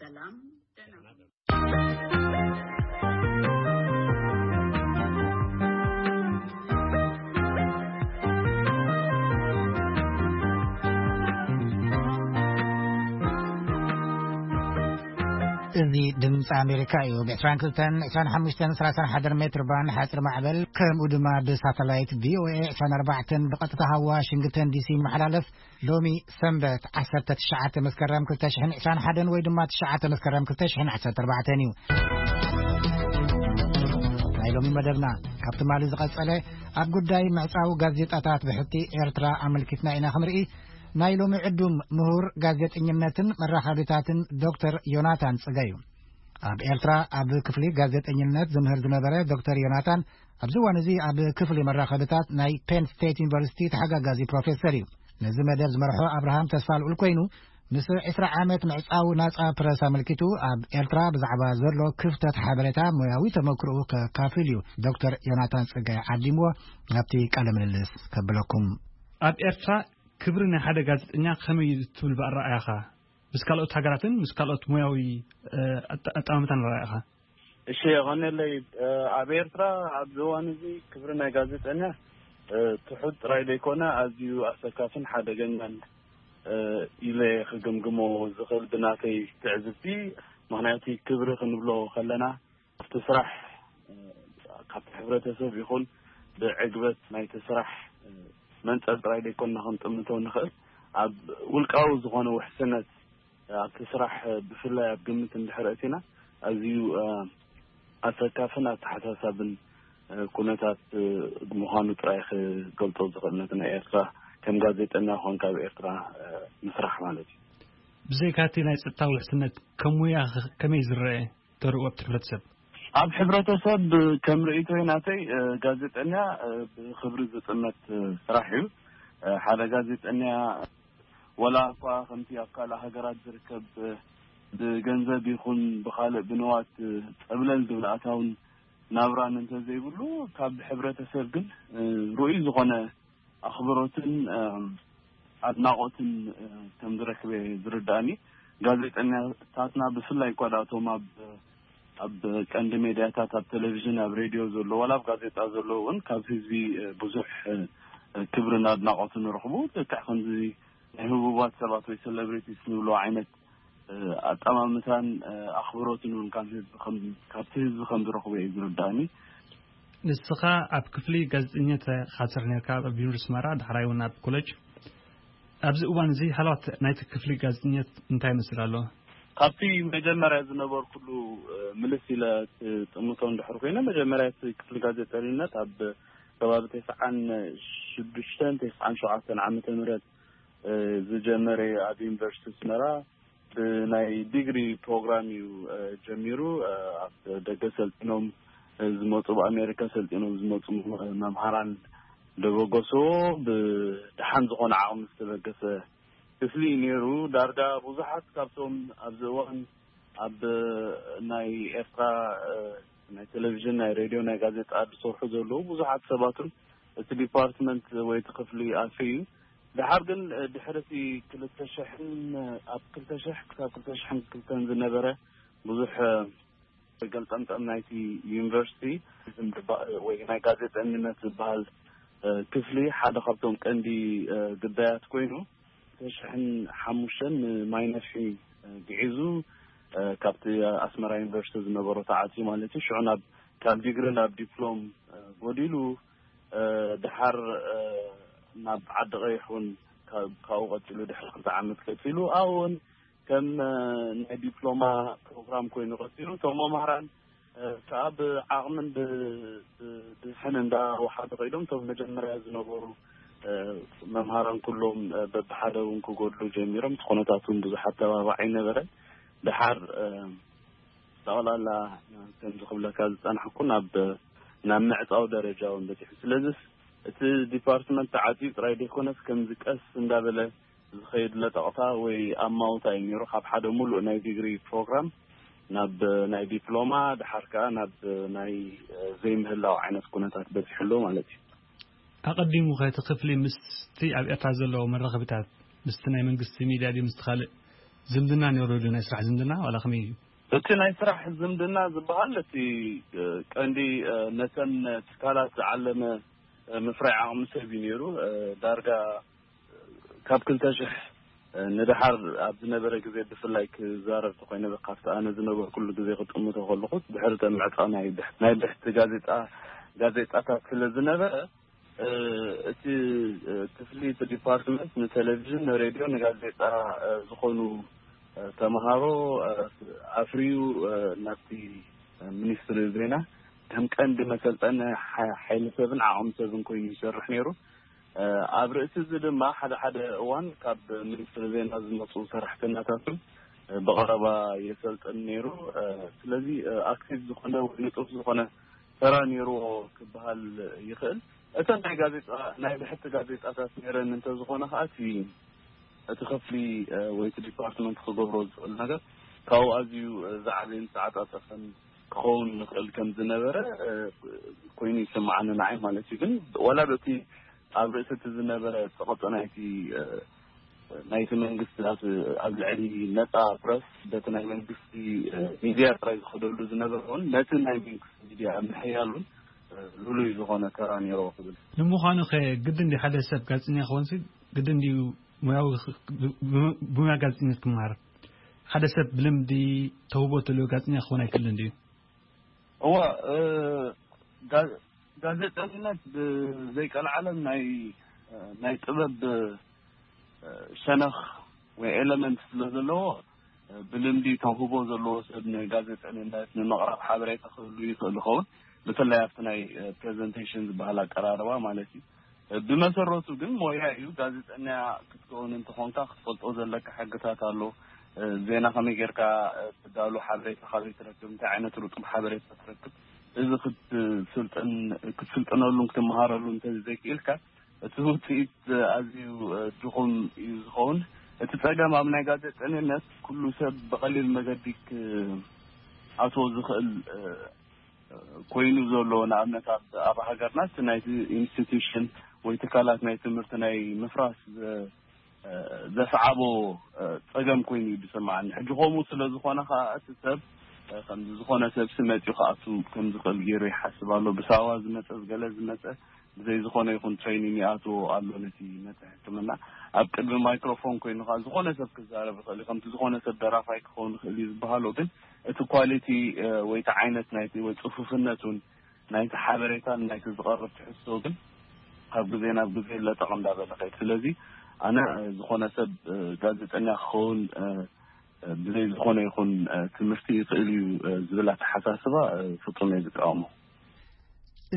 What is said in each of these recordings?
ሰላም፣ ደህና። እዚ ድምፂ ኣሜሪካ እዩ። ብ22፣ 25፣ 31 ሜትር ባንድ ሓፂር ማዕበል፣ ከምኡ ድማ ብሳተላይት ቪ ኦ ኤ ዕስራን ኣርባዕተን ብቐጥታ ካብ ዋሽንግተን ዲ ሲ ይመሓላለፍ። ሎሚ ሰንበት ዓሰርተ ትሽዓተ መስከረም ክልተ ሽሕን ዕስራን ሓደን ወይ ድማ ትሽዓተ መስከረም ክልተ ሽሕን ዓሰርተ ኣርባዕተን እዩ። ናይ ሎሚ መደብና ካብ ትማሊ ዝቐጸለ፣ ኣብ ጉዳይ ምዕጻው ጋዜጣታት ብሕቲ ኤርትራ ኣመልኪትና ኢና ክንርኢ። ናይ ሎሚ ዕዱም ምሁር ጋዜጠኝነትን መራኸቢታትን ዶክተር ዮናታን ጽገ እዩ። ኣብ ኤርትራ ኣብ ክፍሊ ጋዜጠኝነት ዝምህር ዝነበረ ዶክተር ዮናታን ኣብዚ እዋን እዚ ኣብ ክፍሊ መራኸብታት ናይ ፔን ስቴት ዩኒቨርሲቲ ተሓጋጋዚ ፕሮፌሰር እዩ። ነዚ መደብ ዝመርሖ ኣብርሃም ተስፋልኡል ኮይኑ፣ ምስ ዕስራ ዓመት ምዕጻው ናጻ ፕረስ ኣመልኪቱ ኣብ ኤርትራ ብዛዕባ ዘሎ ክፍተት ሓበሬታ ሞያዊ ተመክሮኡ ከካፍል እዩ ዶክተር ዮናታን ጽገ ዓዲምዎ። ናብቲ ቃለ ምልልስ ከብለኩም። ኣብ ኤርትራ ክብሪ ናይ ሓደ ጋዜጠኛ ከመይ እዩ ትብል ብኣረኣያኻ? ምስ ካልኦት ሃገራትን ምስ ካልኦት ሞያዊ፣ እ፣ ኣጠ-፣ ኣጠማምታን ኣረኣያኻ? እሺ፣ የቐንየለይ። እ፣ ኣብ ኤርትራ ኣብዚ እዋን እዚ ክብሪ ናይ ጋዜጠኛ፣ እ፣ ትሑት ጥራይ ዘይኮነ ኣዝዩ ኣሰካፍን ሓደገኛን፣ እ፣ ኢለ ክግምግሞ ዝኽእል ብናተይ ትዕዝብቲ። ምኽንያቱ ክብሪ ክንብሎ ከለና ኣብቲ ስራሕ፣ እ፣ ካብቲ ሕብረተሰብ ይኹን ብዕግበት ናይቲ ስራሕ፣ እ፣ መንጸር ጥራይ ዘይኮንና ክንጥምቶ ንኽእል። ኣብ ውልቃዊ ዝኾነ ውሕስነት፣ እ፣ ኣብቲ ስራሕ፣ እ፣ ብፍላይ ኣብ ግምት እንድሕር ኣእቲና ኣዝዩ፣ እ፣ ኣሰካፍን ኣተሓሳሳብን፣ እ፣ ኩነታት፣ እ፣ ምዃኑ ጥራይ ክገልጾ ዝኽእል ነቲ ናይ ኤርትራ ከም ጋዜጠኛ ኮንካ ኣብ ኤርትራ፣ እ፣ ምስራሕ ማለት እዩ። ብዘይካቲ ናይ ጸጥታ ውሕስነት ከም ሙያ ኸ-፣ ከመይ ዝረአ? ተርእዮ ኣብቲ ሕብረተሰብ? ኣብ ሕብረተሰብ ከም ርእይቶይ ናተይ፣ እ፣ ጋዜጠኛ፣ እ፣ ብኽብሪ ዝጥመት፣ እ፣ ስራሕ እዩ። እ፣ ሓደ ጋዜጠኛ ወላ እኳ ከምቲ ኣብ ካልእ ሃገራት ዝርከብ፣ እ፣ ብገንዘብ ይኹን ብኻልእ ብንዋት፣ እ፣ ጸብለል ዝብል ኣታውን ናብራን እንተዘይብሉ፣ ካብ ሕብረተሰብ ግን፣ እ፣ ርኡይ ዝኾነ ኣኽብሮትን፣ እ፣ ኣድናቖትን፣ እ፣ ከም ዝረክበ ዝርዳእኒ። ጋዜጠኛታትና ብፍላይ እኳ ደኣ እቶም ኣብ፣ ኣብ ቀንዲ ሜድያታት፣ ኣብ ቴሌቪዥን፣ ኣብ ሬድዮ ዘሎ፣ ዋላ ኣብ ጋዜጣ ዘሎ እውን ካብ ህዝቢ፣ እ፣ ብዙሕ፣ እ፣ ክብርን ኣድናቖትን ንረኽቡ። ልክዕ ከምዚ ናይ ህቡባት ሰባት ወይ ሴሌብሪቲስ ንብሎ ዓይነት፣ እ፣ ኣጠማምታን፣ እ፣ ኣኽብሮትን እውን ካብ ህዝቢ ከም፣ ካብቲ ህዝቢ ከም ዝረኽቦ እዩ ዝርዳእኒ። ንስኻ ኣብ ክፍሊ ጋዜጠኝነት ኢኻ ትሰርሕ ነርካ፣ ኣብ ዩኒቨርሲቲ ኣስመራ፣ ዳሕራይ እውን ኣብ ኮሌጅ። ኣብዚ እዋን እዚ ሃለዋት ናይቲ ክፍሊ ጋዜጠኝነት እንታይ ይመስል ኣሎ? ካብቲ መጀመርያ ዝነበርኩሉ፣ እ፣ ምልስ ኢለ ክጥምቶ እንድሕር ኮይነ፣ መጀመርያ እቲ ክፍሊ ጋዜጠኝነት ኣብ ከባቢ ተስዓን ሽዱሽተን ተስዓን ሸውዓተን ዓመተ ምህረት፣ እ፣ ዝጀመረ ኣብ ዩኒቨርሲቲ ኣስመራ ብናይ ዲግሪ ፕሮግራም እዩ፣ እ፣ ጀሚሩ። እ፣ ኣብ ደገ ሰልጢኖም፣ እ፣ ዝመጹ፣ ብኣሜሪካ ሰልጢኖም ዝመጹ መ-፣ መምሃራን ደበገስዎ። ብደሓን ዝኾነ ዓቕሚ ዝተበገሰ ክፍሊ እዩ ነይሩ። ዳርጋ ብዙሓት ካብቶም ኣብዚ እዋን ኣብ ናይ ኤርትራ፣ እ፣ ናይ ቴሌቪዥን፣ ናይ ሬድዮ፣ ናይ ጋዜጣ ዝሰርሑ ዘለዉ ብዙሓት ሰባትን እቲ ዲፓርትመንት ወይ እቲ ክፍሊ ኣልፊ እዩ። ድሓር ግን፣ እ፣ ድሕሪ እቲ ክልተ ሽሕን፣ ኣብ ክልተ ሽሕ ክሳብ ክልተ ሽሕን ክልተን ዝነበረ ብዙሕ፣ እ፣ ገልጠምጠም ናይቲ ዩኒቨርሲቲ ወይ ናይ ጋዜጠኝነት ዝበሃል፣ እ፣ ክፍሊ ሓደ ካብቶም ቀንዲ፣ እ፣ ግዳያት ኮይኑ፣ ክልተ ሽሕን ሓሙሽተን ንማይ ነፍሒ፣ እ፣ ግዒዙ፣ እ፣ ካብቲ ኣስመራ ዩኒቨርሲቲ ዝነበሮ ተዓጽዩ ማለት እዩ። ሽዑ ናብ፣ ካብ ዲግሪ ናብ ዲፕሎም፣ እ፣ ጎዲሉ፣ እ፣ ድሓር፣ እ፣ ናብ ዓዲ ቀይሕ እውን ካብ፣ ካብኡ ቀጺሉ ድሕሪ ክልተ ዓመት ቀጺሉ፣ ኣብኡ እውን ከም፣ እ፣ ናይ ዲፕሎማ ፕሮግራም ኮይኑ ቀጺሉ። እቶም መምሃራን፣ እ፣ ከኣ ብዓቕምን ብ-፣ ብ-፣ ብዝሕን እንዳወሓዱ ከይዶም፣ እቶም መጀመርያ ዝነበሩ፣ እ፣ መምሃራን ኩሎም፣ እ፣ በብሓደ እውን ክጎድሉ ጀሚሮም። እቲ ኩነታት እውን ብዙሕ ኣተባባዒ ኣይነበረን። ድሓር፣ እ፣ ጠቕላላ፣ እ፣ ከምዚ ክብለካ ዝጸናሕኩ ናብ፣ ናብ ምዕጻው ደረጃ እውን በጺሑ። ስለዚስ እቲ ዲፓርትመንት ተዓጽዩ ጥራይ ዘይኮነስ፣ ከምዚ ቀስ እንዳበለ ዝኸይድ ለጠቕታ ወይ ኣማውታ እዩ ነይሩ። ካብ ሓደ ሙሉእ ናይ ዲግሪ ፕሮግራም ናብ ናይ ዲፕሎማ፣ ድሓር ከኣ ናብ ናይ፣ እ፣ ዘይምህላው ዓይነት ኩነታት በጺሑ ኣሎ ማለት እዩ። ኣቐዲሙ ከ እቲ ክፍሊ ምስቲ ኣብ ኤርትራ ዘለዎ መራኸቢታት፣ ምስቲ ናይ መንግስቲ ሚድያ ድዩ፣ ምስቲ ካልእ ዝምድና ነይሩ ዶ? ናይ ስራሕ ዝምድና ዋላ ከመይ እዩ? እቲ ናይ ስራሕ ዝምድና ዝበሃል፣ እቲ፣ እ፣ ቀንዲ፣ እ፣ ነተን ትካላት ዝዓለመ፣ እ፣ ምፍራይ ዓቕሚ ሰብ እዩ ነይሩ። እ፣ ዳርጋ ካብ ክልተ ሽሕ ንደሓር ኣብ ዝነበረ ግዜ፣ ብፍላይ ክዛረብ ተኮይነ፣ ካብቲ ኣነ ዝነበርኩሉ ግዜ ክጥምቶ ከለኹ፣ ድሕሪ እተን ምዕጻው ናይ ብሕ-፣ ናይ ብሕቲ ጋዜጣ፣ ጋዜጣታት ስለ ዝነበረ፣ እ፣ እቲ፣ እ፣ ክፍሊ፣ እቲ ዲፓርትመንት ንቴሌቪዥን፣ ንሬድዮ፣ ንጋዜጣ፣ እ፣ ዝኾኑ፣ እ፣ ተምሃሮ፣ እ፣ ኣፍርዩ፣ እ፣ ናብቲ፣ እ፣ ሚኒስትሪ ዜና ከም ቀንዲ መሰልጠኒ ሓ-፣ ሓይሊ ሰብን ዓቕሚ ሰብን ኮይኑ ይሰርሕ ነይሩ። እ፣ ኣብ ርእሲ እዚ ድማ ሓደ ሓደ እዋን ካብ ሚኒስትሪ ዜና ዝመጹ ሰራሕተኛታትን፣ እ፣ ብቐረባ የሰልጥን ነይሩ። እ፣ ስለዚ፣ እ፣ ኣክቲቭ ዝኾነ ወይ ንጡፍ ዝኾነ ተራ ነይርዎ ክበሃል ይኽእል። እተን ናይ ጋዜጣ፣ ናይ ብሕቲ ጋዜጣታት ነይረን እንተዝኾነ ከኣ፣ እቲ፣ እቲ ክፍሊ፣ እ፣ ወይ እቲ ዲፓርትመንት ክገብሮ ዝኽእል ነገር ካብኡ ኣዝዩ፣ እ፣ ዝዓበየን ዝተዓጻጸፈን ክኸውን ንኽእል ከም ዝነበረ፣ እ፣ ኮይኑ ይስምዓኒ ንዓይ ማለት እዩ። ግን ዋላ በቲ ኣብ ርእሲ እቲ ዝነበረ ጸቕጢ ናይቲ፣ እ፣ ናይቲ መንግስቲ ኣብ፣ ኣብ ልዕሊ ነጻ ፕረስ፣ በቲ ናይ መንግስቲ፣ እ፣ ሚድያ ጥራይ ዝኸደሉ ዝነበረ እውን፣ ነቲ ናይ መንግስቲ ሚድያ ኣብ ምሕያል እውን፣ እ፣ ልሉይ ዝኾነ ተራ ነይርዎ ክብል። ንምዃኑ ኸ ግድን ድዩ ሓደ ሰብ ጋዜጠኛ ክኾንሲ? ግድን ድዩ ሞያዊ ኽ-፣ ብ-፣ ብ-፣ ብሞያ ጋዜጠኝነት ክመሃር? ሓደ ሰብ ብልምዲ ተውህቦ ተልዮ ጋዜጠኛ ክኾን ኣይክእልን ድዩ? እዋ፣ እ፣ ጋ-፣ ጋዜጠኝነት ብዘይቀልዓለም ናይ፣ እ፣ ናይ ጥበብ፣ እ፣ ሸነኽ ወይ ኤለመንት ስለ ዘለዎ፣ እ፣ ብልምዲ ተውህቦ ዘለዎ ሰብ ንጋዜጠኝነት ንምቕራብ ሓበሬታ ክህሉ ይኽእል ይኸውን። ብፍላይ ኣብቲ ናይ፣ እ፣ ፕሬዘንቴሽን ዝበሃል ኣቀራርባ ማለት እዩ። እ፣ ብመሰረቱ ግን ሞያ እዩ። ጋዜጠኛ ክትከውን እንተኾንካ ክትፈልጦ ዘለካ ሕግታት ኣሎ። እ፣ ዜና ከመይ ጌርካ፣ እ፣ ትዳሉ፣ ሓበሬታ ካበይ ትረክብ፣ እንታይ ዓይነት ርጡብ ሓበሬታ ትረክብ፣ እዚ ክትስልጥን-፣ ክትስልጥነሉን ክትመሃረሉን እንተዘይክኢልካ፣ እቲ ውጽኢት ኣዝዩ፣ እ፣ ድኹም እዩ ዝኸውን። እቲ ጸገም ኣብ ናይ ጋዜጠኝነት ኩሉ ሰብ ብቐሊል መገዲ ክኣትዎ ዝኽእል፣ እ፣ ኮይኑ ዘሎ፣ ንኣብነት ኣብ፣ ኣብ ሃገርና እቲ ናይቲ ኢንስቲትዩሽን ወይ ትካላት ናይ ትምህርቲ ናይ ምፍራስ ዘ-፣ ዘስዓቦ፣ እ፣ ጸገም ኮይኑ እዩ ዝስምዓኒ። ሕጂ ከምኡ ስለ ዝኾነ ከኣ እቲ ሰብ፣ እ፣ ከምዚ ዝኾነ ሰብ ሲ መጺኡ ክኣቱ ከም ዝኽእል ገይሩ ይሓስብ ኣሎ። ብሳዋ ዝመጸ፣ ዝገለ ዝመጸ፣ ብዘይ ዝኾነ ይኹን ትሬኒንግ ይኣትዎ ኣሎ ነቲ ነቲ ሕክምና። ኣብ ቅድሚ ማይክሮፎን ኮይኑ ከኣ ዝኾነ ሰብ ክዛረብ ይኽእል እዩ። ከምቲ ዝኾነ ሰብ ደራፋይ ክኸውን ይኽእል እዩ ዝበሃሎ፣ ግን እቲ ኳሊቲ፣ እ፣ ወይ እቲ ዓይነት ናይቲ ወይ ጽፉፍነቱን ናይቲ ሓበሬታን ናይቲ ዝቐርብ ትሕዝቶ ግን ካብ ግዜ ናብ ግዜ ለጠቕ እንዳበለ ከይድ። ስለዚ ኣነ፣ እ፣ ዝኾነ ሰብ፣ እ፣ ጋዜጠኛ ክኸውን፣ እ፣ እ፣ ብዘይ ዝኾነ ይኹን፣ እ፣ ትምህርቲ ይኽእል እዩ፣ እ፣ ዝብል ኣተሓሳስባ፣ እ፣ ፍጹም እየ ዝቃወሞ።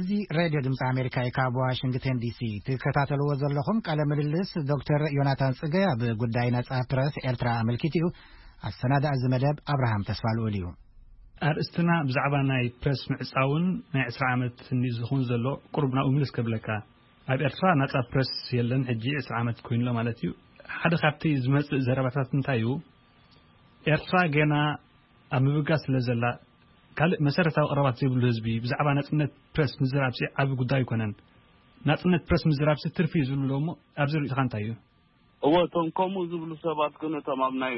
እዚ ሬድዮ ድምፂ ኣሜሪካ እዩ። ካብ ዋሽንግተን ዲሲ ትከታተልዎ ዘለኹም ቃለ ምልልስ ዶክተር ዮናታን ጽገ ኣብ ጉዳይ ነጻ ፕረስ ኤርትራ ኣመልኪቱ እዩ። ኣሰናዳኢ እዚ መደብ ኣብርሃም ተስፋልኡል እዩ። ኣርእስትና ብዛዕባ ናይ ፕረስ ምዕጻውን ናይ ዕስራ ዓመት እንዲ ዝኹን ዘሎ ቁሩብ ናብኡ ምልስ ከብለካ። ኣብ ኤርትራ ናጻ ፕረስ የለን፣ ሕጂ ዕስራ ዓመት ኮይኑሎ ማለት እዩ። ሓደ ካብቲ ዝመጽእ ዘረባታት እንታይ እዩ? ኤርትራ ገና ኣብ ምብጋስ ስለ ዘላ፣ ካልእ መሰረታዊ ቀረባት ዘይብሉ ህዝቢ ብዛዕባ ናጽነት ፕረስ ምዝራብሲ ዓቢ ጉዳይ ኣይኮነን። ናጽነት ፕረስ ምዝራብሲ ትርፊ እዩ ዝብሉ እሞ ኣብዚ ርእይቶኻ እንታይ እዩ? እወ፣ እቶም ከምኡ ዝብሉ ሰባት ግን እቶም ኣብ ናይ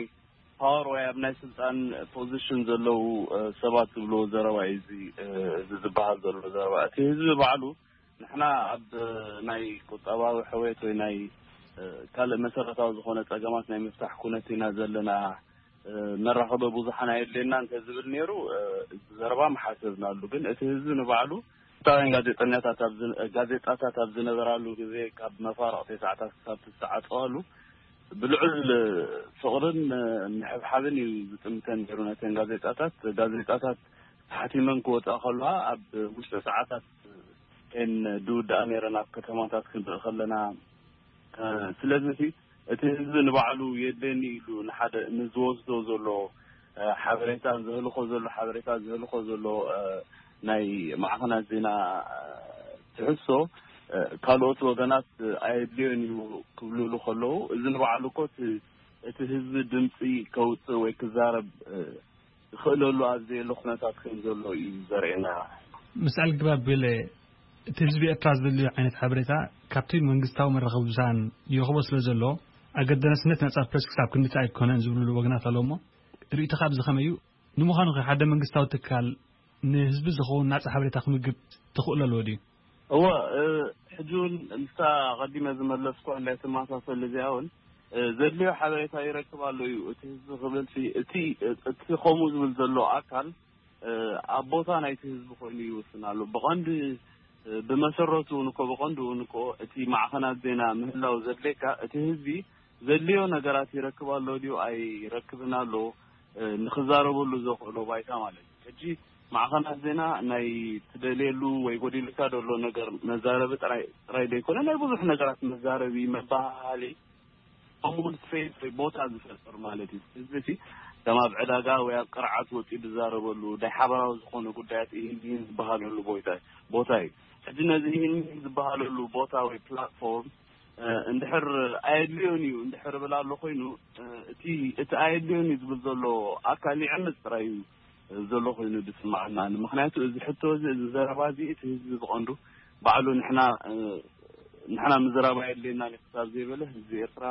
ፓወር ወይ ኣብ ናይ ስልጣን ፖዚሽን ዘለዉ፣ እ፣ ሰባት ዝብልዎ ዘረባ እዩ እዚ፣ እ፣ እዚ ዝበሃል ዘሎ ዘረባ። እቲ ህዝቢ ባዕሉ ንሕና ኣብ ናይ ቁጠባዊ ሕውየት ወይ ናይ፣ እ፣ ካልእ መሰረታዊ ዝኾነ ጸገማት ናይ ምፍታሕ ኩነት ኢና ዘለና፣ እ፣ መራኸቢ ብዙሓን ኣየድልየና እንተ ዝብል ነይሩ፣ እ፣ እዚ ዘረባ ምሓሰብናሉ። ግን እቲ ህዝቢ ንባዕሉ ኤርትራውያን ጋዜጠኛታት ኣብ ዝን-፣ ጋዜጣታት ኣብ ዝነበራሉ ግዜ ካብ መፋርቕ ተስዓታት ክሳብ ዝተዓጸዋሉ ብልዑል ፍቕርን ምሕብሓብን እዩ ዝጥምተን ነይሩ ነተን ጋዜጣታት። ጋዜጣታት ተሓቲመን ክወጻ ከለዋ ኣብ ውሽጢ ሰዓታት እየን ዝውድኣ ነይረን ኣብ ከተማታት ክንርኢ ከለና። እ፣ ስለዚ እቲ ህዝቢ ንባዕሉ የድልየኒ ኢሉ ንሓደ ንዝወስዶ ዘሎ፣ እ፣ ሓበሬታ፣ ዘህልኾ ዘሎ ሓበሬታ፣ ዘህልኾ ዘሎ፣ እ፣ ናይ ማዕኸናት ዜና፣ እ፣ ትሕዝቶ፣ እ፣ ካልኦት ወገናት ኣየድልዮን እዩ ክብልሉ ከለዉ፣ እዚ ንባዕሉ እኮ እቲ፣ እቲ ህዝቢ ድምፂ ከውፅእ ወይ ክዛረብ፣ እ፣ ዝኽእለሉ ኣብ ዘየለ ኩነታት ከም ዘሎ እዩ ዘርእየና። ምስ ኣልግባብ ገለ እቲ ህዝቢ ኤርትራ ዝደልዮ ዓይነት ሓበሬታ ካብቲ መንግስታዊ መራኸቢ ብዙሃን ይረኽቦ ስለ ዘሎ፣ ኣገዳስነት ናጻ ፕረስ ክሳብ ክንድቲ ኣይኮነን ዝብሉ ወገናት ኣለዉ እሞ፣ ርእይቶኻ ኣብዚ ከመይ እዩ? ንምዃኑ ከ ሓደ መንግስታዊ ትካል ንህዝቢ ዝኸውን ናጻ ሓበሬታ ክምግብ ተኽእሎ ኣለዎ ድዩ? እወ፣ እ፣ ሕጂ እውን ምስታ ቀዲመ ዝመለስኩ እንዳ ተመሳሰል እዚኣ እውን፣ እ፣ ዘድልዮ ሓበሬታ ይረክብ ኣሎ እዩ እቲ ህዝቢ ክብል ሲ፣ እቲ፣ እቲ ከምኡ ዝብል ዘሎ ኣካል፣ እ፣ ኣብ ቦታ ናይቲ ህዝቢ ኮይኑ ይውስን ኣሎ። ብቐንዲ፣ እ፣ ብመሰረቱ እውን እኮ፣ ብቐንዱ እውን እኮ እቲ ማዕኸናት ዜና ምህላው ዘድልየካ እቲ ህዝቢ ዘድልዮ ነገራት ይረክብ ኣሎ ድዩ ኣይረክብን ኣሎ፣ እ፣ ንኽዛረበሉ ዘኽእሎ ባይታ ማለት እዩ። ሕጂ ማዕኸናት ዜና ናይ ትደልየሉ ወይ ጎዲልካ ዘሎ ነገር መዛረቢ ጥራይ፣ ጥራይ ዘይኮነ ናይ ብዙሕ ነገራት መዛረቢ፣ መበሃሃሊ፣ ከምኡውን ስፔስ ወይ ቦታ ዝፈጥር ማለት እዩ። ህዝቢ እቲ ከም ኣብ ዕዳጋ ወይ ኣብ ቅርዓት ወፂኡ ዝዛረበሉ ናይ ሓበራዊ ዝኾነ ጉዳያት ይህን ይህን ዝበሃለሉ ቦታ፣ ቦታ እዩ። ሕጂ ነዚ ይህን ይህን ዝበሃለሉ ቦታ ወይ ፕላትፎርም፣ እ፣ እንድሕር ኣየድልዮን እዩ እንድሕር ብል ኣሎ ኮይኑ፣ እ፣ እቲ፣ እቲ ኣየድልዮን እዩ ዝብል ዘሎ ኣካል ይዕምፅ ጥራይ እዩ ዘሎ ኮይኑ ዝስማዓና። ምኽንያቱ እዚ ሕቶ እዚ፣ እዚ ዘረባ እዚ እቲ ህዝቢ ብቐንዱ ባዕሉ ንሕና፣ እ፣ ንሕና ምዝራብ ኣየድልየናን እዩ ክሳብ ዘይበለ ህዝቢ ኤርትራ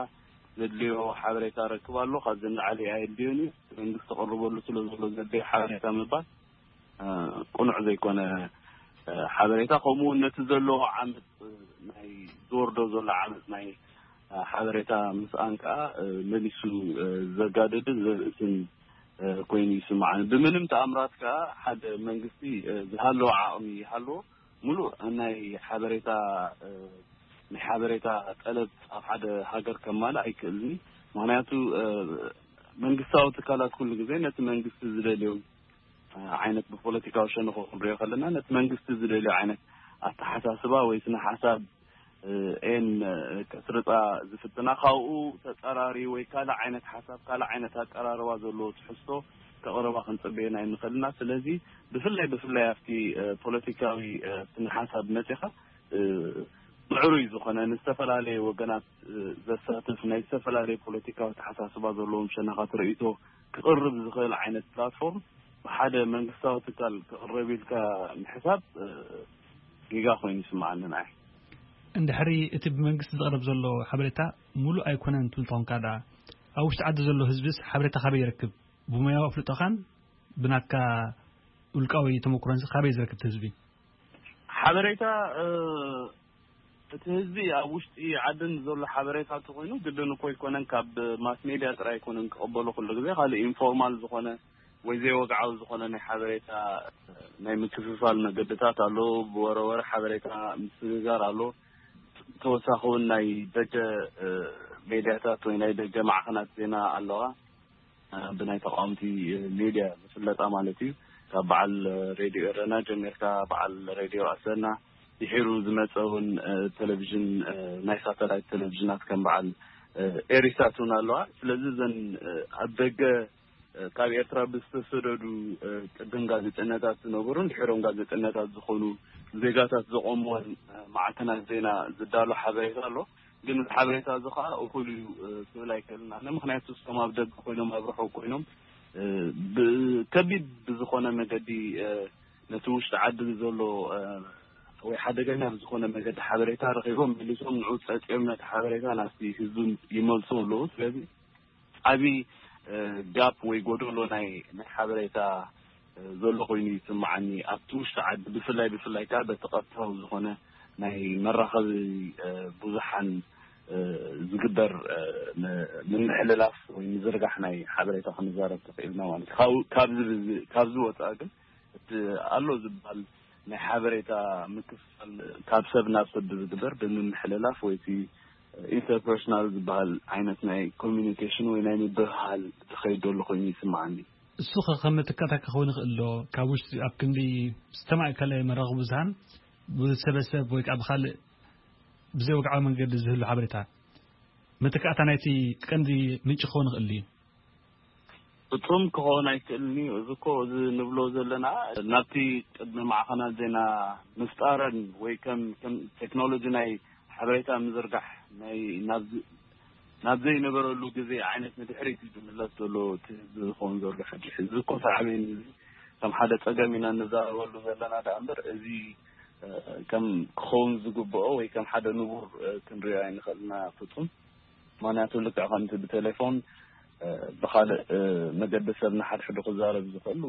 ዘድልዮ ሓበሬታ ረክብ ኣሎ። ካብዚ ንላዕሊ ኣየድልዮን እዩ። መንግስቲ ክቕርበሉ ስለ ዘሎ ዘድልዮ ሓበሬታ ምባል፣ እ፣ ቅኑዕ ዘይኮነ፣ እ፣ ሓበሬታ፣ ከምኡ እውን ነቲ ዘለዎ ዓመፅ፣ እ፣ ናይ ዝወርዶ ዘሎ ዓመፅ ናይ፣ እ፣ ሓበሬታ ምስኣን ከዓ፣ እ፣ መሊሱ፣ እ፣ ዘጋድድን ዘርእስን፣ እ፣ ኮይኑ ይስማዓኒ። ብምንም ተኣምራት ከዓ ሓደ መንግስቲ፣ እ፣ ዝሃለዎ ዓቕሚ ይሃልዎ፣ ሙሉእ ናይ ሓበሬታ፣ እ፣ ናይ ሓበሬታ ጠለብ ኣብ ሓደ ሃገር ከማልእ ኣይክእልን እዩ። ምኽንያቱ፣ እ፣ መንግስታዊ ትካላት ኩሉ ግዜ ነቲ መንግስቲ ዝደልዮ፣ እ፣ ዓይነት ብፖለቲካዊ ሸነኹ ክንሪኦ ከለና ነቲ መንግስቲ ዝደልዮ ዓይነት ኣተሓሳስባ ወይ ስነ ሓሳብ፣ እ፣ ኤን፣ እ፣ ከስርጻ ዝፍትና ካብኡ ተጸራሪ ወይ ካልእ ዓይነት ሓሳብ ካልእ ዓይነት ኣቀራርባ ዘለዎ ትሕዝቶ ከቕርባ ክንጽበየን ኣይንኽእልና። ስለዚ ብፍላይ ብፍላይ ኣብቲ፣ እ፣ ፖለቲካዊ፣ እ፣ ስነ ሓሳብ መጺኻ፣ እ፣ ምዕሩይ ዝኾነ ንዝተፈላለየ ወገናት፣ እ፣ ዘሳትፍ ናይ ዝተፈላለየ ፖለቲካዊ ኣተሓሳስባ ዘለዎም ሸነኻት ርእይቶ ክቕርብ ዝኽእል ዓይነት ፕላትፎርም ብሓደ መንግስታዊ ትካል ክቕረብ ኢልካ ምሕሳብ፣ እ፣ ጌጋ ኮይኑ ይስምዓኒ ንዓይ። እንድሕሪ እቲ ብመንግስቲ ዝቕረብ ዘሎ ሓበሬታ ሙሉእ ኣይኮነን ትብል ተኾንካ ደኣ፣ ኣብ ውሽጢ ዓዲ ዘሎ ህዝብስ ሓበሬታ ካበይ ይረክብ? ብሞያዊ ኣፍልጦኻን ብናትካ ውልቃዊ ተመኩሮንስ ካበይ ዝረክብ እቲ ህዝቢ? ሓበሬታ፣ እ፣ እቲ ህዝቢ ኣብ ውሽጢ ዓድን ዘሎ ሓበሬታ እንተኾይኑ ግድን እኮ ኣይኮነን ካብ ማስ ሜድያ ጥራይ ኣይኮነን ክቕበሎ ኩሉ ግዜ። ካልእ ኢንፎርማል ዝኾነ ወይ ዘይወግዓዊ ዝኾነ ናይ ሓበሬታ፣ እ፣ ናይ ምክፍፋል መገድታት ኣሎ። ብወረወረ ሓበሬታ ምስግጋር ኣሎ። ተወሳኺ እውን ናይ ደገ፣ እ፣ ሜድያታት ወይ ናይ ደገ ማዕኸናት ዜና ኣለዋ። እ፣ ብናይ ተቃወምቲ፣ እ፣ ሜድያ ዝፍለጣ ማለት እዩ። ካብ በዓል፣ እ፣ ሬድዮ ኤረና ጀሚርካ በዓል ሬድዮ ኣሰና፣ ድሒሩ ዝመጸ እውን፣ እ፣ ቴሌቪዥን፣ እ፣ ናይ ሳተላይት ቴሌቪዥናት ከም በዓል፣ እ፣ ኤሪሳት እውን ኣለዋ። ስለዚ እዘን፣ እ፣ ኣብ ደገ፣ እ፣ ካብ ኤርትራ ብዝተሰደዱ፣ እ፣ ቅድም ጋዜጠኛታት ዝነበሩን ድሒሮም ጋዜጠኛታት ዝኾኑ ዜጋታት ዘቆምወን፣ እ፣ ማዕከናት ዜና ዝዳሎ ሓበሬታ ኣሎ። ግን እዚ ሓበሬታ እዚ ኸኣ እኹል እዩ፣ እ፣ ክብል ኣይክእልን ኣነ። ምኽንያቱ እቶም ኣብ ደገ ኮይኖም፣ ኣብ ርሑቕ ኮይኖም፣ እ፣ ብ-፣ ከቢድ ብዝኾነ መገዲ፣ እ፣ ነቲ ውሽጢ ዓዲ ዘሎ፣ እ፣ ወይ ሓደገኛ ብዝኾነ መገዲ ሓበሬታ ረኺቦም፣ መሊሶም ንዑ ጸጺኦም ነቲ ሓበሬታ ናብቲ ህዝቢ ይመልሱ ኣለዉ። ስለዚ ዓቢ፣ እ፣ ጋፕ ወይ ጎደሎ ናይ፣ ናይ ሓበሬታ፣ እ፣ ዘሎ ኮይኑ ይስምዓኒ። ኣብቲ ውሽጢ ዓዲ ብፍላይ፣ ብፍላይ ከኣ በቲ ቀጥታዊ ዝኾነ ናይ መራኸቢ፣ እ፣ ብዙሓን፣ እ፣ ዝግበር፣ እ፣ ም-፣ ምምሕልላፍ ወይ ምዝርጋሕ ናይ ሓበሬታ ክንዛረብ ተኽኢልና ማለት እዩ። ካብ፣ ካብዚ ብዚ-፣ ካብዚ ወጻኢ ግን እቲ ኣሎ ዝበሃል ናይ ሓበሬታ ምክፍፋል ካብ ሰብ ናብ ሰብ ብዝግበር ብምምሕልላፍ ወይ እቲ ኢንተርፐርሶናል ዝበሃል ዓይነት ናይ ኮሚኒኬሽን ወይ ናይ ምብህሃል ዝኸይድ ዘሎ ኮይኑ ይስምዓኒ። እሱ ኸ ከም መተካእታ ክኸውን ይኽእል ዶ? ካብ ውሽጢ ኣብ ክንዲ ዝተማእከለ መራኸቢ ብዙሃን ብሰበሰብ ወይ ከዓ ብኻልእ ብዘይ ወግዓዊ መንገዲ ዝህሉ ሓበሬታ መተካእታ ናይቲ ቀንዲ ምንጪ ክኸውን ይኽእል እዩ? ፍጹም ክኸውን ኣይክእልን እዩ። እዚ እኮ እዚ ንብሎ ዘለና ናብቲ ቅድሚ ማዕኸናት ዜና ምፍጣረን ወይ ከም፣ ከም ቴክኖሎጂ ናይ ሓበሬታ ምዝርጋሕ ናይ ናብዚ፣ ናብ ዘይነበረሉ ግዜ ዓይነት ንድሕሪት እዩ ዝምለስ ዘሎ እቲ ህዝቢ ዝኸውን ዘሎ ሕጂ። እዚ እኮ ሳዕቤን እዚ ከም ሓደ ጸገም ኢና እንዛረበሉ ዘለና ደኣ እምበር እዚ፣ እ፣ ከም ክኸውን ዝግብኦ ወይ ከም ሓደ ንቡር፣ እ፣ ክንሪኦ ኣይንኽእልና ፍጹም። ምክንያቱ ልክዕ ከምቲ ብቴሌፎን ብካልእ መገዲ ሰብ ንሓድሕዱ ክዛረብ ዝኽእሉ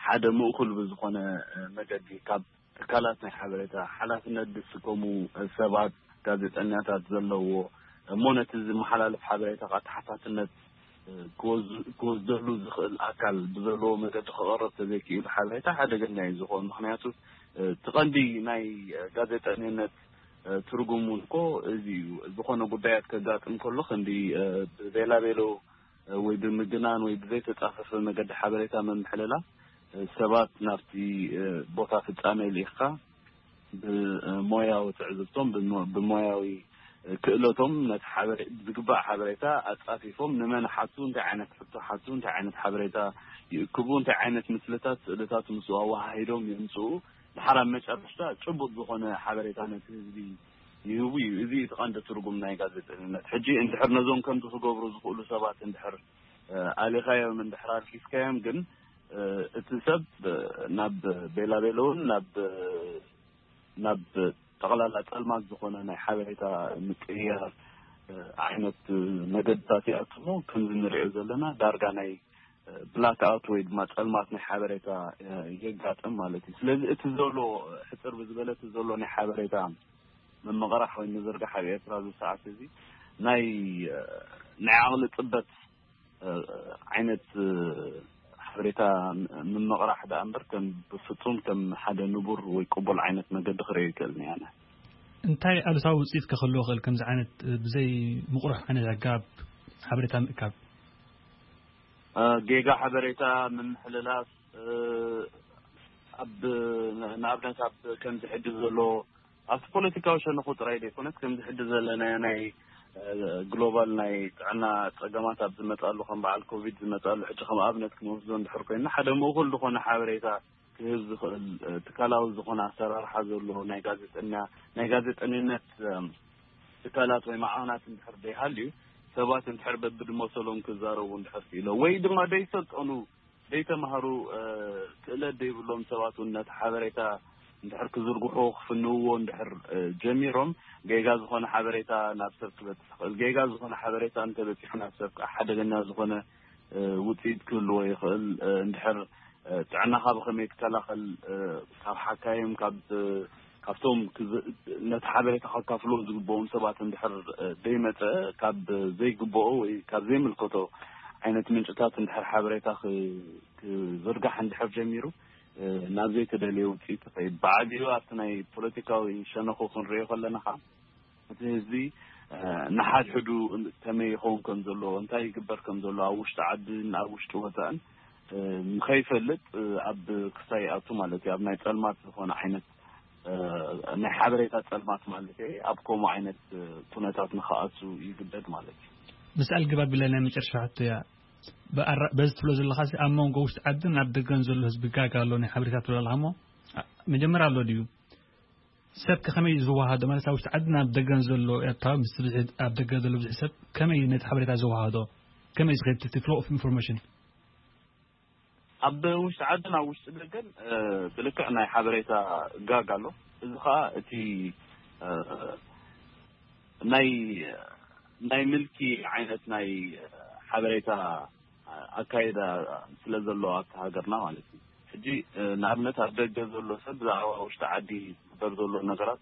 ሓደ ምእኩል ብዝኾነ መገዲ ካብ ትካላት ናይ ሓበሬታ ሓላፍነት ዝስከሙ ሰባት፣ ጋዜጠኛታት ዘለዎ እሞ ነቲ ዝመሓላለፍ ሓበሬታ ከዓ ተሓታትነት ክወስደሉ ዝኽእል ኣካል ብዘለዎ መገዲ ክቐረብ ተዘይክኢሉ ሓበሬታ ሓደገኛ እዩ ዝኾን። ምክንያቱ እቲ ቀንዲ ናይ ጋዜጠኝነት ትርጉም እውን እኮ እዚ እዩ። ዝኾነ ጉዳያት ከጋጥም ከሎ ክንዲ ብቤላቤሎ ወይ ብምግናን ወይ ብዘይተጻፈፈ መገዲ ሓበሬታ ምምሕልላፍ ሰባት ናብቲ ቦታ ፍጻሜ ልኢኽካ ብሞያዊ ትዕዝብቶም ብሞያዊ ክእለቶም ነቲ ዝግባእ ሓበሬታ ኣጻፊፎም ንመን ሓቱ፣ እንታይ ዓይነት ሕቶ ሓቱ፣ እንታይ ዓይነት ሓበሬታ ይእክቡ፣ እንታይ ዓይነት ምስልታት፣ ስእልታት ምስኡ ኣወሃሂዶም የምጽኡ። ድሓር ኣብ መጨረሽታ ጭቡጥ ዝኾነ ሓበሬታ ነቲ ህዝቢ ይህቡ እዩ። እዚ እቲ ቀንዲ ትርጉም ናይ ጋዜጠኝነት። ሕጂ እንድሕር ነዞም ከምዚ ክገብሩ ዝኽእሉ ሰባት እንድሕር ኣሊኻዮም፣ እንድሕር ኣልጊስካዮም ግን እቲ ሰብ ናብ ቤላቤሎ እውን ናብ ናብ ጠቕላላ ጸልማት ዝኾነ ናይ ሓበሬታ ምቅይያር ዓይነት መገድታት ይኣትሞ። ከምዚ ንሪኦ ዘለና ዳርጋ ናይ ብላክ ኣውት ወይ ድማ ጸልማት ናይ ሓበሬታ የጋጥም ማለት እዩ። ስለዚ እቲ ዘሎ ሕጽር ብዝበለ እቲ ዘሎ ናይ ሓበሬታ ምምቕራሕ ወይ ምዝርጋሕ ኣብ ኤርትራ ኣብዚ ሰዓት እዚ ናይ ናይ ዓቕሊ ጽበት ዓይነት ሓበሬታ ምምቕራሕ ደኣ እምበር ከም ብፍጹም ከም ሓደ ንቡር ወይ ቅቡል ዓይነት መገዲ ክርእዮ ይክእል እየ ኣነ። እንታይ ኣሉታዊ ውፅኢት ከ ክህልዎ ይኽእል ከምዚ ዓይነት ብዘይ ምቕሩሕ ዓይነት ኣገባብ ሓበሬታ ምእካብ? ጌጋ ሓበሬታ ምምሕልላፍ ኣብ ንኣብነት ኣብ ከምዚ ሕጂ ዘሎ ኣብቲ ፖለቲካዊ ሸነኹ ጥራይ ዘይኮነስ ከምዚ ሕጂ ዘለናዮ ናይ ግሎባል ናይ ጥዕና ጸገማት ኣብ ዝመጻሉ ከም በዓል ኮቪድ ዝመጻሉ ሕጂ ከም ኣብነት ክንወስዶ እንድሕር ኮይና ሓደ ምእኩል ዝኾነ ሓበሬታ ክህብ ዝኽእል ትካላዊ ዝኾነ ኣሰራርሓ ዘለዎ ናይ ጋዜጠኛ ናይ ጋዜጠኝነት ትካላት ወይ ማዕኸናት እንድሕር ዘይሃልዩ ሰባት እንድሕር በብድመሰሎም ክዛረቡ እንድሕር ክኢሎ ወይ ድማ ዘይሰልጠኑ ዘይተማህሩ ክእለት ዘይብሎም ሰባት እውን ነቲ ሓበሬታ እንድሕር ክዝርግሑ ክፍንውዎ እንድሕር ጀሚሮም ጌጋ ዝኾነ ሓበሬታ ናብ ሰብ ክበፅሕ ይኽእል። ጌጋ ዝኾነ ሓበሬታ እንተበፂሑ ናብ ሰብ ከዓ ሓደገኛ ዝኾነ ውፅኢት ክህልዎ ይኽእል። እንድሕር ጥዕናኻ ብኸመይ ትከላኸል፣ ካብ ሓካይም ካብ ካብቶም ነቲ ሓበሬታ ከካፍሎ ዝግብኦም ሰባት እንድሕር ዘይመፀ ካብ ዘይግብኦ ወይ ካብ ዘይምልከቶ ዓይነት ምንጭታት እንድሕር ሓበሬታ ክዝርጋሕ እንድሕር ጀሚሩ ናብ ዘይተደለየ ውፅኢት ይኸይድ። ብዓቢኡ ኣብቲ ናይ ፖለቲካዊ ሸነኹ ክንሪኦ ከለና ከዓ እቲ ህዝቢ ንሓድሕዱ ከመይ ይኸውን ከም ዘለዎ እንታይ ይግበር ከም ዘሎ ኣብ ውሽጢ ዓድን ኣብ ውሽጢ ወፃእን ንኸይፈልጥ ኣብ ክስታይ ይኣቱ ማለት እዩ። ኣብ ናይ ፀልማት ዝኾነ ዓይነት ናይ ሓበሬታ ፀልማት ማለት እየ ኣብ ከምኡ ዓይነት ኩነታት ንኽኣቱ ይግደድ ማለት እዩ። ምስ ኣልግባብ ብለ ናይ መጨረሻ ሕቶ እያ። በዚ ትብሎ ዘለኻ ኣብ መንጎ ውሽጢ ዓድን ኣብ ደገን ዘሎ ህዝቢ ጋጋ ኣሎ ናይ ሓበሬታ ትብሎ ኣለኻ እሞ መጀመርያ ኣሎ ድዩ? ሰብ ከኸመይ ዝወሃዶ ማለት ኣብ ውሽጢ ዓድን ኣብ ደገን ዘሎ ኤርትራዊ ምስ ብዝሒ ኣብ ደገ ዘሎ ብዙሒ ሰብ ከመይ ነቲ ሓበሬታ ዝወሃዶ ከመይ ዝኸድ እቲ flow of information ኣብ ውሽጢ ዓድን ኣብ ውሽጢ ደገን ብልክዕ ናይ ሓበሬታ ጋግ ኣሎ። እዚ ከዓ እቲ ናይ ናይ ምልኪ ዓይነት ናይ ሓበሬታ ኣካይዳ ስለ ዘሎ ኣብቲ ሃገርና ማለት እዩ። ሕጂ ንኣብነት ኣብ ደገ ዘሎ ሰብ ብዛዕባ ውሽጢ ዓዲ ዝግበር ዘሎ ነገራት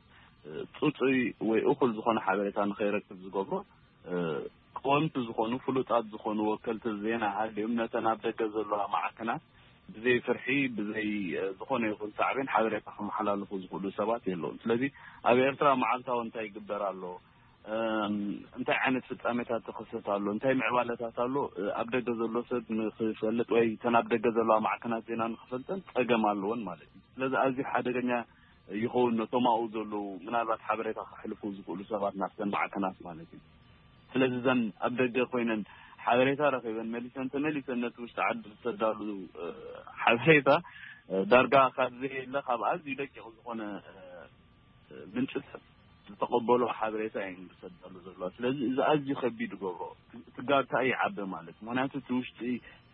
ፅፁይ ወይ እኹል ዝኾነ ሓበሬታ ንኸይረክብ ዝገብሮ ቀወምቲ ዝኾኑ ፍሉጣት ዝኾኑ ወከልቲ ዜና ሃልዮም ነተን ኣብ ደገ ዘለዋ ማዕከናት ብዘይ ፍርሒ ብዘይ ዝኾነ ይኹን ሳዕቤን ሓበሬታ ከመሓላልፉ ዝኽእሉ ሰባት የለውን። ስለዚ ኣብ ኤርትራ መዓልታዊ እንታይ ይግበር ኣሎ፣ እንታይ ዓይነት ፍጻሜታት ተኸሰት ኣሎ፣ እንታይ ምዕባለታት ኣሎ ኣብ ደገ ዘሎ ሰብ ንክፈልጥ ወይ ተን ኣብ ደገ ዘለዋ ማዕከናት ዜና ንክፈልጠን ጸገም ኣለወን ማለት እዩ። ስለዚ ኣዝዩ ሓደገኛ ይኸውን ነቶም ኣብኡ ዘለዉ ምናልባት ሓበሬታ ከሕልፉ ዝኽእሉ ሰባት ናብተን ማዕከናት ማለት እዩ። ስለዚ እዘን ኣብ ደገ ኮይነን ሓበሬታ ረኺበን መሊሰን ተመሊሰን ነቲ ውሽጢ ዓዲ ዝሰዳሉ ሓበሬታ ዳርጋ ካብ ዘየለ ካብ ኣዝዩ ደቂቕ ዝኾነ ምንጭታት ዝተቐበሎ ሓበሬታ እየን ዝሰዳሉ ዘለዋ። ስለዚ እዚ ኣዝዩ ከቢድ ይገብሮ። ትጋርታ ይዓበ ማለት ምክንያቱ እቲ ውሽጢ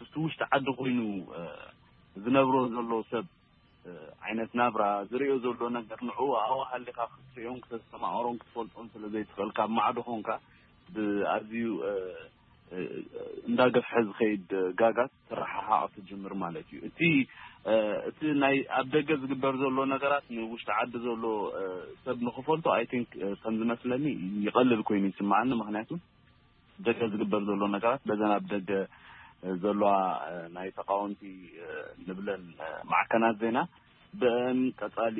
እቲ ውሽጢ ዓዲ ኮይኑ ዝነብሮ ዘሎ ሰብ ዓይነት ናብራ ዝርእዮ ዘሎ ነገር ንዕኡ ኣብኡ ሃሊኻ ክትርእዮን ክተስተማቕሮን ክትፈልጦን ስለ ዘይትኽእል ካብ ማዕዶ ኾንካ ብኣዝዩ እንዳገፍሐ ዝኸይድ ጋጋት ተረሓሓቕ ትጅምር ማለት እዩ። እቲ እቲ ናይ ኣብ ደገ ዝግበር ዘሎ ነገራት ንውሽጢ ዓዲ ዘሎ ሰብ ንክፈልጦ፣ I think፣ ከም ዝመስለኒ ይቐልል ኮይኑ ይስምዓኒ። ምክንያቱ ደገ ዝግበር ዘሎ ነገራት በዘን ኣብ ደገ ዘለዋ ናይ ተቃወምቲ ንብለን ማዕከናት ዜና ብእን ቀጻሊ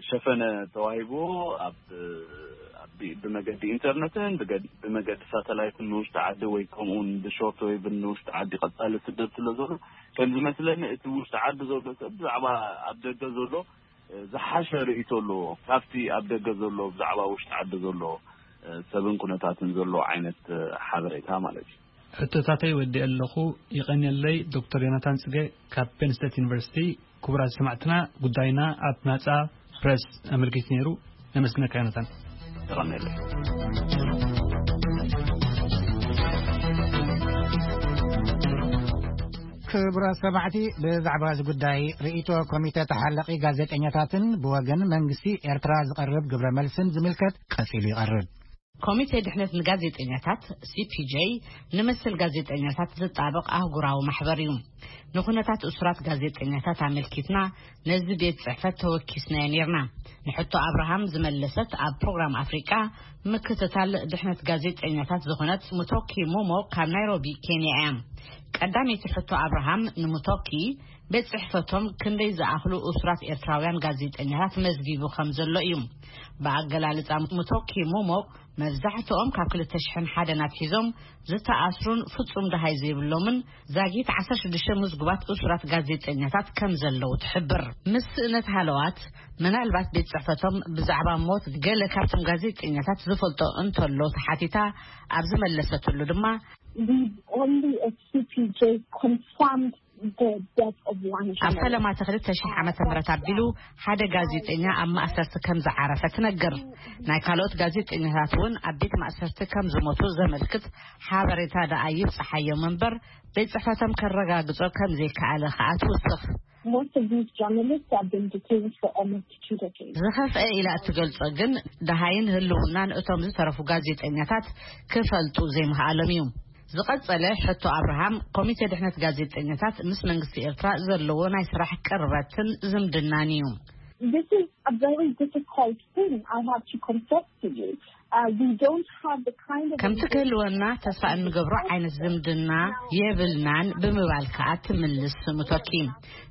ሸፈነ ተዋሂብዎ ኣብ ብመገዲ ኢንተርነትን ብመገዲ ሳተላይትን ንውሽጢ ዓዲ ወይ ከምኡውን ብሾርት ዌቭን ንውሽጢ ዓዲ ቀጻሊ ስደድ ስለ ዘሎ፣ ከም ዝመስለኒ እቲ ውሽጢ ዓዲ ዘሎ ሰብ ብዛዕባ ኣብ ደገ ዘሎ ዝሓሸ ርእይቶ ኣለዎ ካብቲ ኣብ ደገ ዘሎ ብዛዕባ ውሽጢ ዓዲ ዘሎ ሰብን ኩነታትን ዘሎ ዓይነት ሓበሬታ ማለት እዩ። ሕቶታተይ ወዲእ ኣለኹ። ይቐንየለይ ዶክተር ዮናታን ጽገ ካብ ፔን ስቴት ዩኒቨርሲቲ። ክቡራት ሰማዕትና፣ ጉዳይና ኣብ ናጻ ፕረስ ኣመልኪቱ ነይሩ። ነመስግነካ ዮናታን። ክቡራት ሰማዕቲ፣ ብዛዕባ እዚ ጉዳይ ርእይቶ ኮሚተ ተሓለቒ ጋዜጠኛታትን ብወገን መንግስቲ ኤርትራ ዝቐርብ ግብረ መልስን ዝምልከት ቀጺሉ ይቐርብ። ኮሚቴ ድሕነት ንጋዜጠኛታት፣ ሲ ፒ ጄ፣ ንመሰል ጋዜጠኛታት ዝጣበቕ ኣህጉራዊ ማሕበር እዩ። ንኹነታት እሱራት ጋዜጠኛታት ኣመልኪትና ነዚ ቤት ጽሕፈት ተወኪስናዮ ነይርና። ንሕቶ ኣብርሃም ዝመለሰት ኣብ ፕሮግራም ኣፍሪቃ ምክትታል ድሕነት ጋዜጠኛታት ዝኾነት ሙቶኪ ሙሞ ካብ ናይሮቢ ኬንያ እያ። ቀዳመይቲ ሕቶ ኣብርሃም ንሙቶኪ፣ ቤት ጽሕፈቶም ክንደይ ዝኣኽሉ እሱራት ኤርትራውያን ጋዜጠኛታት መዝጊቡ ከም ዘሎ እዩ። ብኣገላልጻ ሙቶኪ ሙሞ፣ መብዛሕትኦም ካብ ክልተ ሽሕን ሓደን ኣትሒዞም ዝተኣስሩን ፍጹም ደሃይ ዘይብሎምን ዛጊት ዓሰርተ ሽዱሽተ ምዝጉባት እሱራት ጋዜጠኛታት ከም ዘለዉ ትሕብር። ምስ ስእነት ሃለዋት፣ ምናልባት ቤት ጽሕፈቶም ብዛዕባ ሞት ገለ ካብቶም ጋዜጠኛታት ዝፈልጦ እንተሎ ተሓቲታ፣ ኣብ ዝመለሰትሉ ድማ፣ We've only at C P J confirmed the death of one ኣብ journalist. ፈለማ ተኽልተ ሽሕ ዓመተ ምህረት ኣቢሉ ሓደ ጋዜጠኛ ኣብ ማእሰርቲ ከም ዝዓረፈ ትነግር። ናይ ካልኦት ጋዜጠኛታት እውን ኣብ ቤት ማእሰርቲ ከም ዝሞቱ ዘመልክት ሓበሬታ ደኣ ይብጽሓዮም እምበር፣ ቤት ጽሕፈቶም ከረጋግጾ ከም ዘይከኣለ ከኣ ትውስኽ። Most of these journalists have been detained for almost two decades. ዝኸፍአ ኢላ እትገልጾ ግን፣ ደሃይን ህልውናን እቶም ዝተረፉ ጋዜጠኛታት ክፈልጡ ዘይምኽኣሎም እዩ። ዝቐጸለ ሕቶ ኣብርሃም፣ ኮሚቴ ድሕነት ጋዜጠኛታት ምስ መንግስቲ ኤርትራ ዘለዎ ናይ ስራሕ ቅርበትን ዝምድናን እዩ። This is a very difficult thing, I have to confess to you. Uh, we don't have the kind of ከምቲ ክህልወና ተስፋ እንገብሮ ዓይነት ዝምድና የብልናን ብምባል ከኣ ትምልስ ሙቶኪ።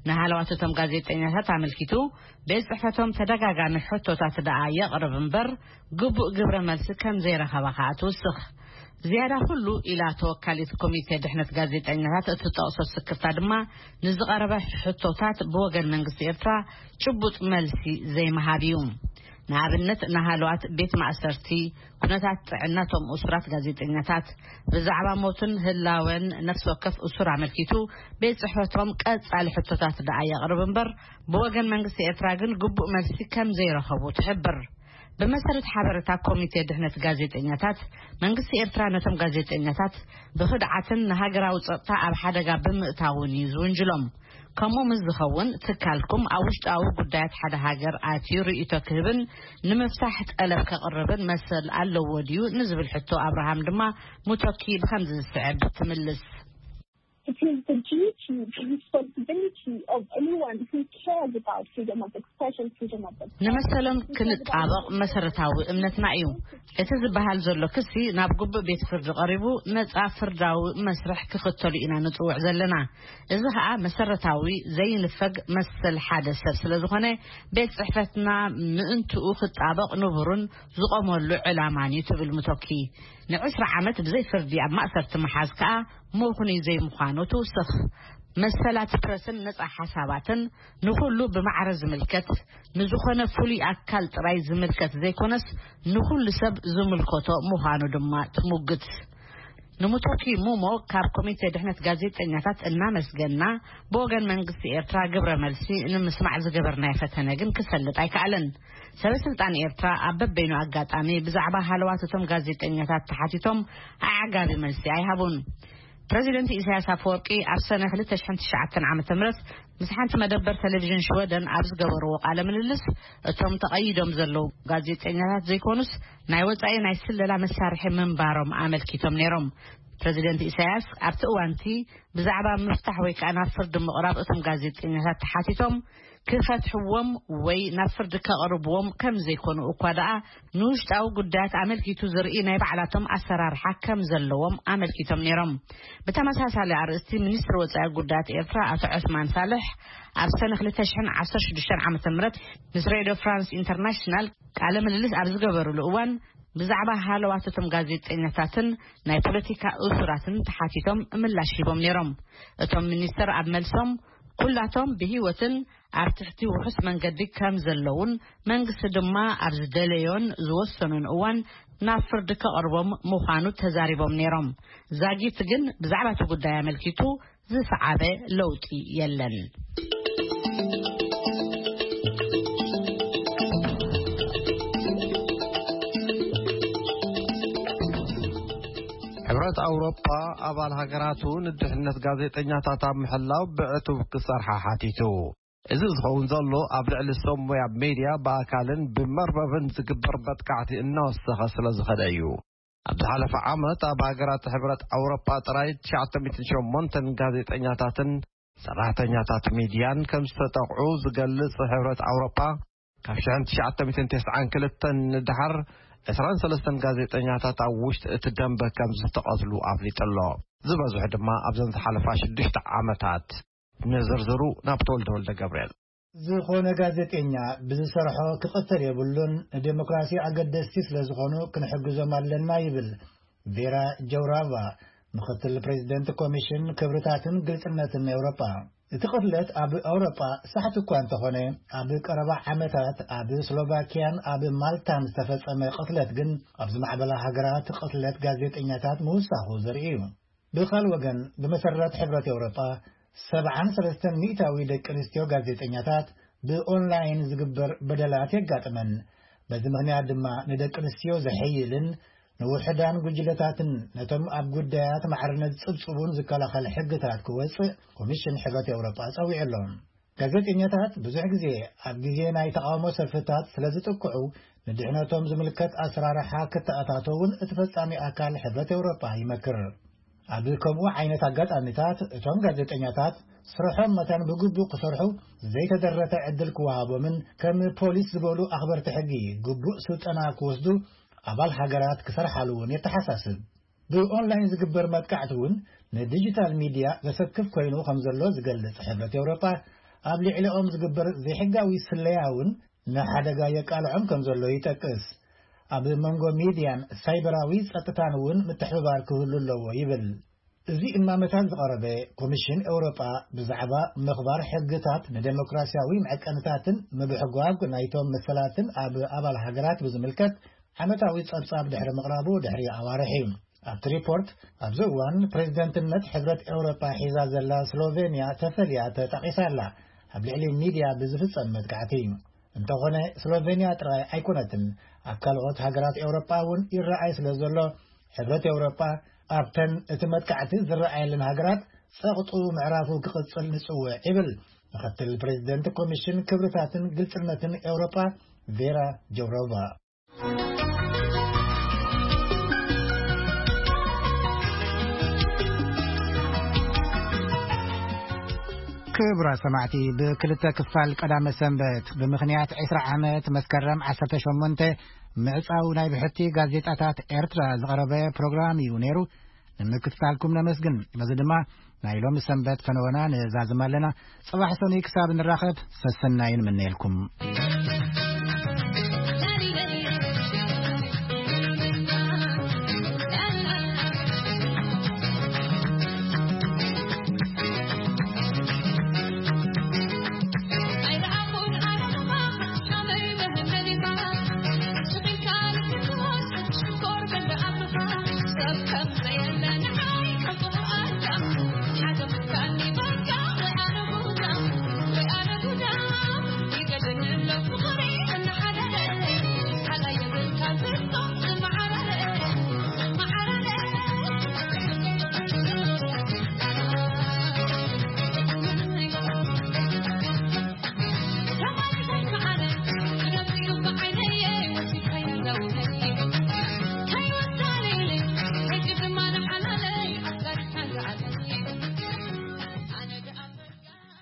ንሃለዋት እቶም ጋዜጠኛታት ኣመልኪቱ፣ ቤት ጽሕፈቶም ተደጋጋሚ ሕቶታት ደኣ የቕርብ እምበር፣ ግቡእ ግብረ መልሲ ከም ዘይረኸበ ከኣ ትውስኽ። ዝያዳ ኩሉ ኢላ ተወካሊት ኮሚቴ ድሕነት ጋዜጠኛታት እትጠቕሶ ስክፍታ ድማ፣ ንዝቐረበ ሕቶታት ብወገን መንግስቲ ኤርትራ ጭቡጥ መልሲ ዘይምሃብ እዩ። ንኣብነት፣ ንሃለዋት ቤት ማእሰርቲ፣ ኩነታት ጥዕናቶም እሱራት ጋዜጠኛታት፣ ብዛዕባ ሞትን ህላወን ነፍሲ ወከፍ እሱር ኣመልኪቱ፣ ቤት ጽሕፈቶም ቀጻሊ ሕቶታት ደኣ የቕርብ እምበር፣ ብወገን መንግስቲ ኤርትራ ግን ግቡእ መልሲ ከም ዘይረኸቡ ትሕብር። ብመሰረት ሓበሬታ ኮሚቴ ድሕነት ጋዜጠኛታት፣ መንግስቲ ኤርትራ ነቶም ጋዜጠኛታት ብኽድዓትን ንሃገራዊ ጸጥታ ኣብ ሓደጋ ብምእታውን እዩ ዝውንጅሎም። ከምኡ ምስ ዝኸውን፣ ትካልኩም ኣብ ውሽጣዊ ጉዳያት ሓደ ሃገር ኣትዩ ርእይቶ ክህብን ንምፍታሕ ጠለብ ከቕርብን መሰል ኣለዎ ድዩ ንዝብል ሕቶ ኣብርሃም ድማ፣ ሙቶኪ ብኸምዚ ዝስዕብ ትምልስ። It is the duty, the responsibility of anyone who cares about freedom of expression, freedom of expression. ንመሰሎም ክንጣበቕ መሰረታዊ እምነትና እዩ። እቲ ዝበሃል ዘሎ ክሲ ናብ ግቡእ ቤት ፍርዲ ቀሪቡ ነጻ ፍርዳዊ መስርሕ ክኽተሉ ኢና ንጽውዕ ዘለና። እዚ ኸኣ መሰረታዊ ዘይንፈግ መሰል ሓደ ሰብ ስለ ዝኾነ፣ ቤት ጽሕፈትና ምእንትኡ ክጣበቕ ንቡርን ዝቖመሉ ዕላማን እዩ ትብል ሙቶኪ። ንዕስራ ዓመት ብዘይ ፍርዲ ኣብ ማእሰርቲ ምሓዝ ከኣ ምኽኑይ ዘይምዃኑ ትውስኽ። መሰላት ፕረስን ነጻ ሓሳባትን ንኹሉ ብማዕረ ዝምልከት፣ ንዝኾነ ፍሉይ ኣካል ጥራይ ዝምልከት ዘይኮነስ፣ ንኹሉ ሰብ ዝምልከቶ ምዃኑ ድማ ትሙግት። ንሙቶኪ ሙሞ ካብ ኮሚቴ ድሕነት ጋዜጠኛታት እናመስገና፣ ብወገን መንግስቲ ኤርትራ ግብረ መልሲ ንምስማዕ ዝገበርናዮ ፈተነ ግን ክሰልጥ ኣይከኣለን። ሰበ ስልጣን ኤርትራ ኣብ በበይኑ ኣጋጣሚ ብዛዕባ ሃለዋት እቶም ጋዜጠኛታት ተሓቲቶም ኣዕጋቢ መልሲ ኣይሃቡን። ፕረዚደንት ኢሳያስ ኣፈወርቂ ኣብ ሰነ ክልተ ሽሕን ትሽዓተን ዓመተ ምህረት ምስ ሓንቲ መደበር ቴሌቪዥን ሽወደን ኣብ ዝገበርዎ ቃለ ምልልስ፣ እቶም ተቐይዶም ዘለዉ ጋዜጠኛታት ዘይኮኑስ፣ ናይ ወጻኢ ናይ ስለላ መሳርሒ ምንባሮም ኣመልኪቶም ነይሮም። ፕረዚደንት ኢሳያስ ኣብቲ እዋንቲ ብዛዕባ ምፍታሕ ወይ ከኣ ናብ ፍርዲ ምቕራብ እቶም ጋዜጠኛታት ተሓቲቶም፣ ክፈትሕዎም ወይ ናብ ፍርዲ ከቕርብዎም ከም ዘይኮኑ እኳ ደኣ፣ ንውሽጣዊ ጉዳያት ኣመልኪቱ ዝርኢ ናይ ባዕላቶም ኣሰራርሓ ከም ዘለዎም ኣመልኪቶም ነይሮም። ብተመሳሳሊ ኣርእስቲ፣ ሚኒስትሪ ወጻኢ ጉዳያት ኤርትራ ኣቶ ዑስማን ሳልሕ ኣብ ሰነ ክልተ ሽሕን ዓሰርተ ሽዱሽተን ዓመተ ምህረት ምስ ሬድዮ ፍራንስ ኢንተርናሽናል ቃለ ምልልስ ኣብ ዝገበሩሉ እዋን፣ ብዛዕባ ሃለዋት እቶም ጋዜጠኛታትን ናይ ፖለቲካ እሱራትን ተሓቲቶም ምላሽ ሂቦም ነይሮም። እቶም ሚኒስትር ኣብ መልሶም፣ ኩላቶም ብህይወትን ኣብ ትሕቲ ውሑስ መንገዲ ከም ዘለውን፣ መንግስቲ ድማ ኣብ ዝደለዮን ዝወሰኑን እዋን ናብ ፍርዲ ከቕርቦም ምዃኑ ተዛሪቦም ነይሮም። ዛጊት ግን ብዛዕባ እቲ ጉዳይ ኣመልኪቱ ዝሰዓበ ለውጢ የለን። ሕብረት ኣውሮፓ ኣባል ሃገራቱ ንድሕነት ጋዜጠኛታት ኣብ ምሕላው ብዕቱብ ክሰርሓ ሓቲቱ። እዚ ዝኸውን ዘሎ ኣብ ልዕሊ ሰብ ሞያ ሜድያ ብኣካልን ብመርበብን ዝግበር መጥቃዕቲ እናወሰኸ ስለ ዝኸደ እዩ። ኣብ ዝሓለፈ ዓመት ኣብ ሃገራት ሕብረት ኣውሮፓ ጥራይ ትሽዓተ ሚእትን ሸሞንተን ጋዜጠኛታትን ሰራሕተኛታት ሚድያን ከም ዝተጠቕዑ ዝገልጽ ሕብረት ኣውሮፓ፣ ካብ ሽሕን ትሽዓተ ሚእትን ተስዓን ክልተን ንደሓር ዕስራን ሰለስተን ጋዜጠኛታት ኣብ ውሽጢ እቲ ደንበ ከም ዝተቐትሉ ኣፍሊጡ ኣሎ። ዝበዝሑ ድማ ኣብዘን ዝሓለፋ ሽዱሽተ ዓመታት። ንዝርዝሩ ናብ ተወልደ ወልደ ገብርኤል። ዝኾነ ጋዜጠኛ ብዝሰርሖ ክቕተል የብሉን፣ ንዴሞክራሲ ኣገደስቲ ስለ ዝኾኑ ክንሕግዞም ኣለና ይብል ቬራ ጀውራቫ፣ ምኽትል ፕሬዚደንት ኮሚሽን ክብርታትን ግልጽነትን ኤውሮጳ። እቲ ቅትለት ኣብ ኣውሮጳ ሳሕቲ እኳ እንተኾነ፣ ኣብ ቀረባ ዓመታት ኣብ ስሎቫኪያን ኣብ ማልታን ዝተፈጸመ ቅትለት ግን ኣብ ዝማዕበላ ሃገራት ቅትለት ጋዜጠኛታት ምውሳኹ ዘርኢ እዩ። ብኻል ወገን፣ ብመሰረት ሕብረት ኤውሮጳ፣ ሰብዓን ሰለስተን ሚእታዊ ደቂ ኣንስትዮ ጋዜጠኛታት ብኦንላይን ዝግበር በደላት የጋጥመን። በዚ ምኽንያት ድማ ንደቂ ኣንስትዮ ዘሐይልን ንውሑዳን ጉጅለታትን ነቶም ኣብ ጉዳያት ማዕርነት ዝጽብጽቡን ዝከላኸል ሕግታት ክወጽእ ኮሚሽን ሕብረት ኤውሮጳ ጸዊዑ ኣሎ። ጋዜጠኛታት ብዙሕ ግዜ ኣብ ግዜ ናይ ተቓውሞ ሰልፍታት ስለ ዝጥቅዑ፣ ንድሕነቶም ዝምልከት ኣሰራርሓ ክተኣታተውን እቲ ፈጻሚ ኣካል ሕብረት ኤውሮጳ ይመክር። ኣብ ከምኡ ዓይነት ኣጋጣሚታት፣ እቶም ጋዜጠኛታት ስርሖም መታን ብግቡእ ክሰርሑ ዘይተደረተ ዕድል ክወሃቦምን ከም ፖሊስ ዝበሉ ኣኽበርቲ ሕጊ ግቡእ ስልጠና ክወስዱ ኣባል ሃገራት ክሰርሓሉ እውን የተሓሳስብ። ብኦንላይን ዝግበር መጥቃዕቲ እውን ንዲጂታል ሚድያ ዘሰክፍ ኮይኑ ከም ዘሎ ዝገልጽ ሕብረት ኤውሮጳ፣ ኣብ ልዕሊኦም ዝግበር ዘይሕጋዊ ስለያ እውን ንሓደጋ የቃልዖም ከም ዘሎ ይጠቅስ። ኣብ መንጎ ሚድያን ሳይበራዊ ጸጥታን እውን ምትሕብባር ክህሉ ኣለዎ ይብል። እዚ እማመታት ዝቐረበ ኮሚሽን ኤውሮጳ ብዛዕባ ምኽባር ሕግታት ንደሞክራሲያዊ መዐቀንታትን ምብሕጓግ ናይቶም መሰላትን ኣብ ኣባል ሃገራት ብዝምልከት ዓመታዊ ጸብጻብ ድሕሪ ምቕራቡ ድሕሪ ኣዋርሕ እዩ። ኣብቲ ሪፖርት፣ ኣብዚ እዋን ፕሬዚደንትነት ሕብረት ኤውሮጳ ሒዛ ዘላ ስሎቬንያ ተፈልያ ተጠቒሳ ኣላ፣ ኣብ ልዕሊ ሚድያ ብዝፍጸም መጥቃዕቲ። እንተኾነ፣ ስሎቬንያ ጥራይ ኣይኮነትን። ኣብ ካልኦት ሃገራት ኤውሮጳ እውን ይረኣይ ስለ ዘሎ፣ ሕብረት ኤውሮጳ ኣብተን እቲ መጥቃዕቲ ዝረኣየለን ሃገራት ጸቕጡ ምዕራፉ ክቕጽል ንጽውዕ ይብል ምኽትል ፕሬዚደንት ኮሚሽን ክብርታትን ግልጽነትን ኤውሮጳ ቬራ ጆውሮቫ። ክቡራት ሰማዕቲ፣ ብክልተ ክፋል ቀዳመ ሰንበት ብምኽንያት ዕስራ ዓመት መስከረም ዓሰርተ ሸሞንተ ምዕጻው ናይ ብሕቲ ጋዜጣታት ኤርትራ ዝቐረበ ፕሮግራም እዩ ነይሩ። ንምክትታልኩም ነመስግን። በዚ ድማ ናይ ሎሚ ሰንበት ፈነወና ንዛዝም ኣለና። ጽባሕ ሰኑይ ክሳብ ንራኸብ ሰሰናይ ንምነየልኩም።